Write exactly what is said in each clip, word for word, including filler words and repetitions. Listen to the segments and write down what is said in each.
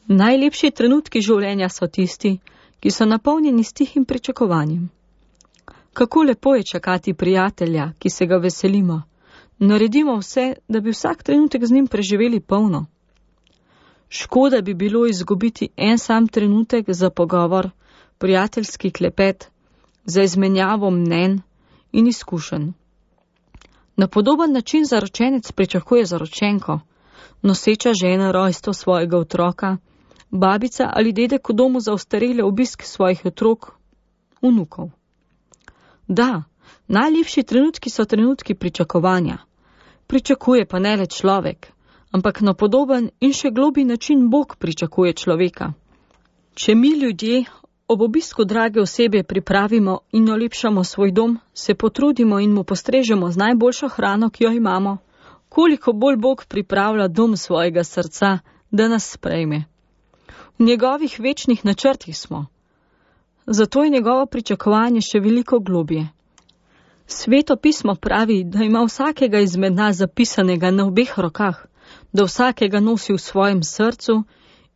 Najlepši trenutki življenja so tisti, ki so napolnjeni s tihim pričakovanjem. Kako lepo je čakati prijatelja, ki se ga veselimo. Naredimo vse, da bi vsak trenutek z njim preživeli polno. Škoda bi bilo izgubiti en sam trenutek za pogovor, prijateljski klepet, za izmenjavo mnenj in izkušenj. Na podoben način zaročenec pričakuje zaročenko, noseča žena rojstvo svojega otroka, babica ali dedek v domu za ostarele obisk svojih otrok, vnukov. Da, najlepši trenutki so trenutki pričakovanja. Pričakuje pa ne le človek, ampak na podoben in še globlji način Bog pričakuje človeka. Če mi ljudje ob obisku drage osebe pripravimo in olepšamo svoj dom, se potrudimo in mu postrežemo z najboljšo hrano, ki jo imamo, koliko bolj Bog pripravlja dom svojega srca, da nas sprejme. V njegovih večnih načrtih smo. Zato je njegovo pričakovanje še veliko globje. Sveto pismo pravi, da ima vsakega izmed nas zapisanega na obeh rokah, da vsakega nosi v svojem srcu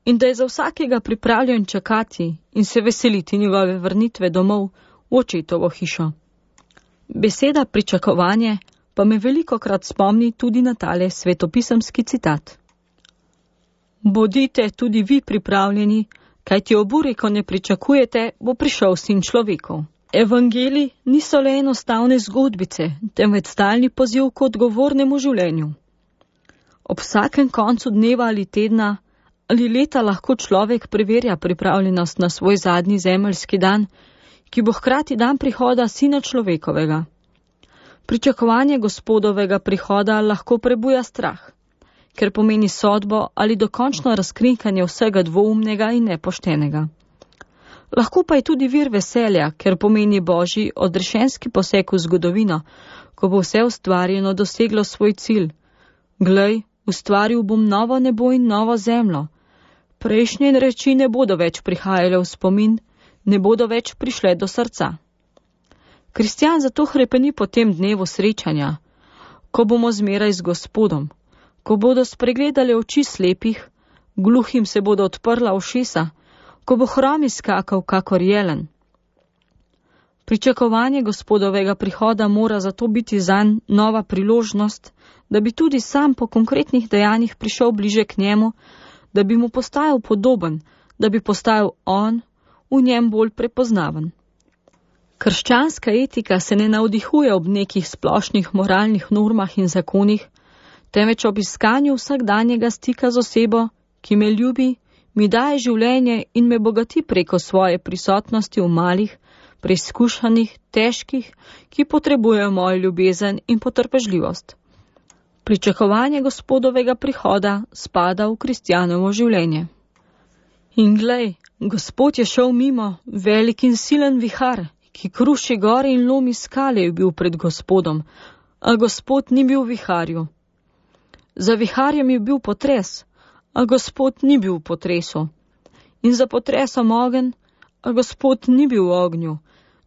in da je za vsakega pripravljen čakati in se veseliti njegove vrnitve domov v očetovo hišo. Beseda pričakovanje pa me velikokrat spomni tudi na tale svetopisemski citat. Bodite tudi vi pripravljeni, kajti ob uri, ko ne pričakujete, bo prišel sin človekov. Evangeliji niso le enostavne zgodbice, temveč stalni poziv k odgovornemu življenju. Ob vsakem koncu dneva ali tedna ali leta lahko človek preverja pripravljenost na svoj zadnji zemeljski dan, ki bo hkrati dan prihoda sina človekovega. Pričakovanje Gospodovega prihoda lahko prebuja strah, ker pomeni sodbo ali dokončno razkrinkanje vsega dvoumnega in nepoštenega. Lahko pa je tudi vir veselja, ker pomeni Božji odrešenski poseg v zgodovino, ko bo vse ustvarjeno doseglo svoj cilj. Glej, ustvaril bom novo nebo in novo zemljo. Prejšnje reči ne bodo več prihajale v spomin, ne bodo več prišle do srca. Kristjan zato hrepeni po tem dnevu srečanja, ko bomo zmeraj z Gospodom, ko bodo spregledale oči slepih, gluhim se bodo odprla ušesa, ko bo hrom izskakal kakor jelen. Pričakovanje Gospodovega prihoda mora zato biti zanj nova priložnost, da bi tudi sam po konkretnih dejanjih prišel bliže k njemu, da bi mu postajal podoben, da bi postajal on, v njem bolj prepoznaven. Krščanska etika se ne navdihuje ob nekih splošnih moralnih normah in zakonih, temveč ob iskanju vsakdanjega stika z osebo, ki me ljubi, mi daje življenje in me bogati preko svoje prisotnosti v malih, preizkušanih, težkih, ki potrebujejo mojo ljubezen in potrpežljivost. Pričakovanje Gospodovega prihoda spada v kristjanovo življenje. In glej, Gospod je šel mimo, velik in silen vihar, ki kruši gore in lomi skale, je bil pred Gospodom, a Gospod ni bil v viharju. Za viharjem je bil potres, a Gospod ni bil v potresu. In za potresom ogenj, a Gospod ni bil v ognju,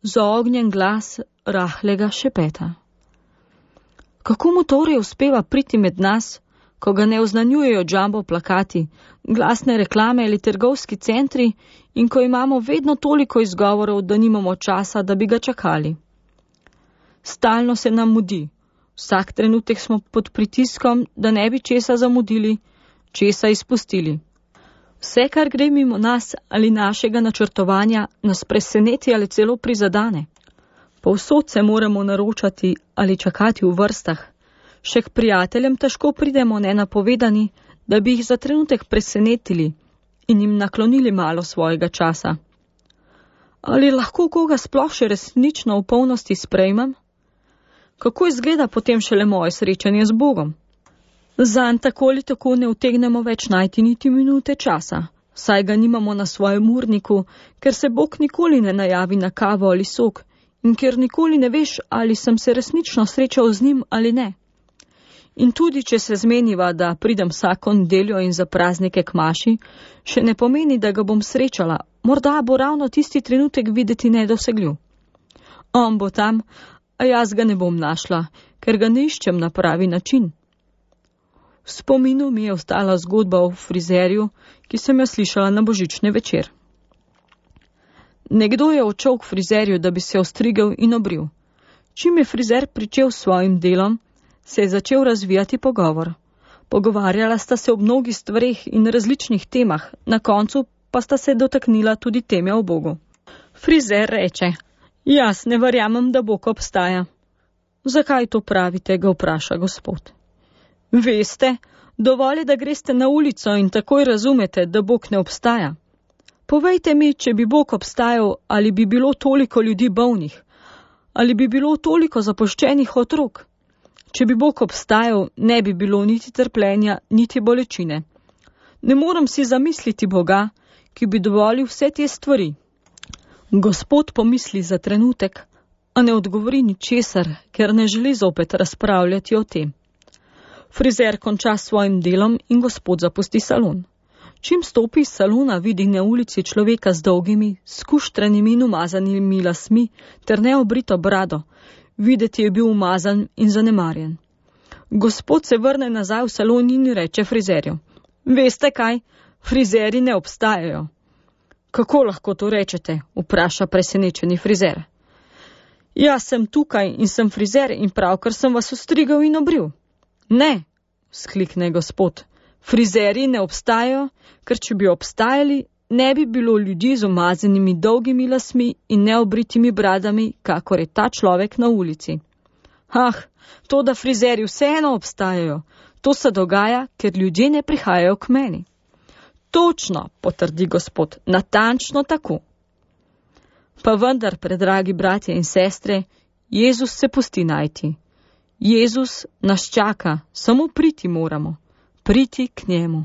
za ognjen glas rahlega šepeta. Kako mu torej uspeva priti med nas, ko ga ne oznanjujejo jumbo plakati, glasne reklame ali trgovski centri in ko imamo vedno toliko izgovorov, da nimamo časa, da bi ga čakali? Stalno se nam mudi. Vsak trenutek smo pod pritiskom, da ne bi česa zamudili, česa izpustili. Vse, kar gre mimo nas ali našega načrtovanja, nas preseneti ali celo prizadane. Povsod se moramo naročati ali čakati v vrstah. Še k prijateljem težko pridemo nenapovedani, da bi jih za trenutek presenetili in jim naklonili malo svojega časa. Ali lahko koga sploh še resnično v polnosti sprejmem? Kako izgleda potem šele moje srečanje z Bogom? Zanj tako ali tako ne utegnemo več najti niti minute časa, saj ga nimamo na svojem urniku, ker se Bog nikoli ne najavi na kavo ali sok in ker nikoli ne veš, ali sem se resnično srečal z njim ali ne. In tudi, če se zmeniva, da pridem vsako nedeljo in za praznike k maši, še ne pomeni, da ga bom srečala, morda bo ravno tisti trenutek videti nedosegljiv. On bo tam, a jaz ga ne bom našla, ker ga ne iščem na pravi način. V spominu mi je ostala zgodba o frizerju, ki sem jo slišala na božični večer. Nekdo je odšel k frizerju, da bi se ostrigel in obril. Čim je frizer pričel s svojim delom, se je začel razvijati pogovor. Pogovarjala sta se o mnogih stvareh in različnih temah, na koncu pa sta se dotaknila tudi teme o Bogu. Frizer reče: "Jaz ne verjamem, da Bog obstaja." "Zakaj to pravite?" ga vpraša Gospod. "Veste, dovolj je, da greste na ulico in takoj razumete, da Bog ne obstaja. Povejte mi, če bi Bog obstajal, ali bi bilo toliko ljudi bolnih, ali bi bilo toliko zapuščenih otrok. Če bi Bog obstajal, ne bi bilo niti trpljenja, niti bolečine. Ne morem si zamisliti Boga, ki bi dovolil vse te stvari." Gospod pomisli za trenutek, a ne odgovori ničesar, ker ne želi zopet razpravljati o tem. Frizer konča s svojim delom in Gospod zapusti salon. Čim stopi iz salona, vidi na ulici človeka z dolgimi, skuštranimi in umazanimi lasmi ter neobrito brado. Videti je bil umazan in zanemarjen. Gospod se vrne nazaj v salon in reče frizerju: "Veste kaj, frizeri ne obstajajo." "Kako lahko to rečete?" vpraša presenečeni frizer. "Jaz sem tukaj in sem frizer in pravkar sem vas ostrigel in obril." "Ne," sklikne Gospod, "frizeri ne obstajajo, ker če bi obstajali, ne bi bilo ljudi z umazanimi dolgimi lasmi in neobritimi bradami, kakor je ta človek na ulici." "Ah, to, da frizeri vseeno obstajajo, to se dogaja, ker ljudje ne prihajajo k meni." "Točno," potrdi Gospod, "natančno tako." Pa vendar, predragi bratje in sestre, Jezus se pusti najti. Jezus nas čaka, samo priti moramo, priti k njemu.